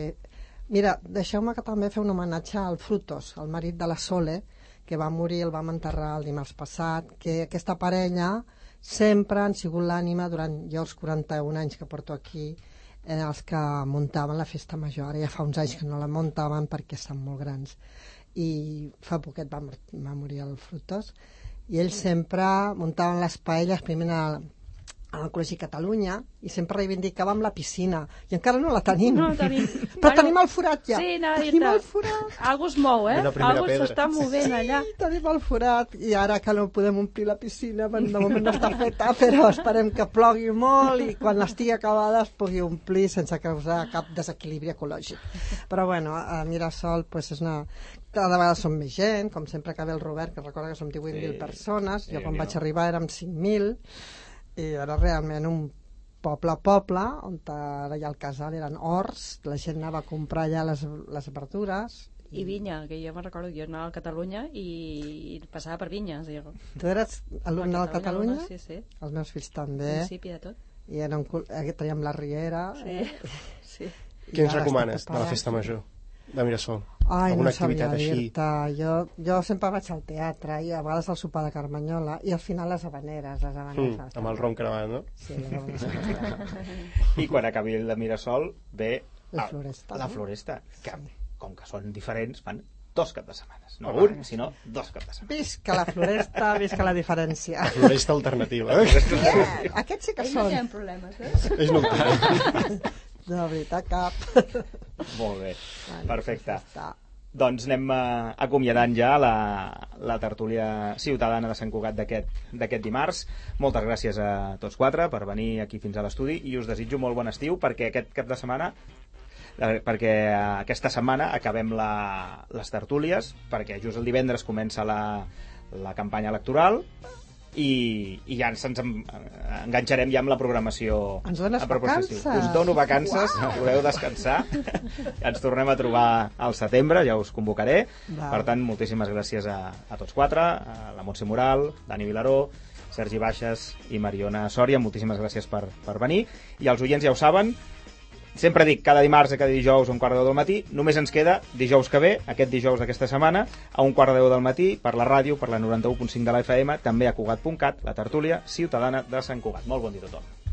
[SPEAKER 6] Mira, deixeu-me que també fer un homenatge al Frutos, el marit de la Sole, que va morir, el vam enterrar el dimarts passat, que aquesta parella sempre han sigut l'ànima durant jo els 41 anys que porto aquí, els que muntaven la festa major. Ara ja fa uns anys que no la muntaven perquè estan molt grans. I fa poquet va morir el Frutos, i ells sempre muntaven les paelles primer al Col·legi Catalunya, i sempre reivindicàvem la piscina, i encara no la tenim.
[SPEAKER 4] No la tenim.
[SPEAKER 6] Però tenim el forat ja.
[SPEAKER 4] Sí,
[SPEAKER 6] tenim el forat.
[SPEAKER 4] Algú es mou, Algú s'està movent allà.
[SPEAKER 6] Sí, tenim el forat, i ara que no podem omplir la piscina, de moment no està feta, però esperem que plogui molt i quan estigui acabada es pugui omplir sense causar cap desequilibri ecològic. Però bueno, a Mirasol pues, és una... Cada vegada som més gent, com sempre que ve el Robert, que recorda que som 18.000 persones, jo quan vaig arribar érem 5.000, i era realment un poble, on ara hi ha el casal, eren horts, la gent anava a comprar allà les verdures.
[SPEAKER 4] I vinya, que jo me'n recordo, jo anava a Catalunya i passava per vinyes.
[SPEAKER 6] Tu eres alumne de Catalunya?
[SPEAKER 4] Sí.
[SPEAKER 6] Els meus fills també.
[SPEAKER 4] Principi de tot.
[SPEAKER 6] I traiem la Riera.
[SPEAKER 4] Sí.
[SPEAKER 5] Què ens recomanes de la festa major de Mirasol?
[SPEAKER 6] Ai, no sabia dir-te. Jo sempre vaig al teatre i a vegades al sopar de Carmanyola i al final les habaneres.
[SPEAKER 5] Amb el ron cremat, no?
[SPEAKER 6] Sí, les habaneres.
[SPEAKER 2] I quan acabi el de Mirasol ve
[SPEAKER 6] la Floresta.
[SPEAKER 2] La Floresta, que com que són diferents fan 2 caps de setmanes. No un, sinó 2 caps de setmanes.
[SPEAKER 6] Visca la Floresta, visca la diferència.
[SPEAKER 5] La Floresta alternativa.
[SPEAKER 6] Aquests sí que són.
[SPEAKER 4] No hi ha problemes,
[SPEAKER 5] Ells no en
[SPEAKER 6] de veritat, cap.
[SPEAKER 2] Molt bé, perfecte. Doncs anem acomiadant ja la tertúlia ciutadana de Sant Cugat d'aquest dimarts. Moltes gràcies a tots 4 per venir aquí fins a l'estudi i us desitjo molt bon estiu perquè aquesta setmana acabem les tertúlies, perquè just el divendres comença la campanya electoral i ja ens enganxarem ja amb la programació.
[SPEAKER 6] Ens dones vacances?
[SPEAKER 2] Us dono vacances, podeu descansar. Ens tornem a trobar al setembre, ja us convocaré. Per tant, moltíssimes gràcies a tots 4, a la Montse Moral, Dani Vilaró, Sergi Baixes i Mariona Sòria. Moltíssimes gràcies per venir. I els oients ja ho saben, Sempre dic, cada dimarts i cada dijous a 1:15 del matí. Només ens queda dijous que ve, aquest dijous d'aquesta setmana, a 1:15 del matí, per la ràdio, per la 91.5 de la FM, també a Cugat.cat, la tertúlia ciutadana de Sant Cugat. Molt bon dia a tothom.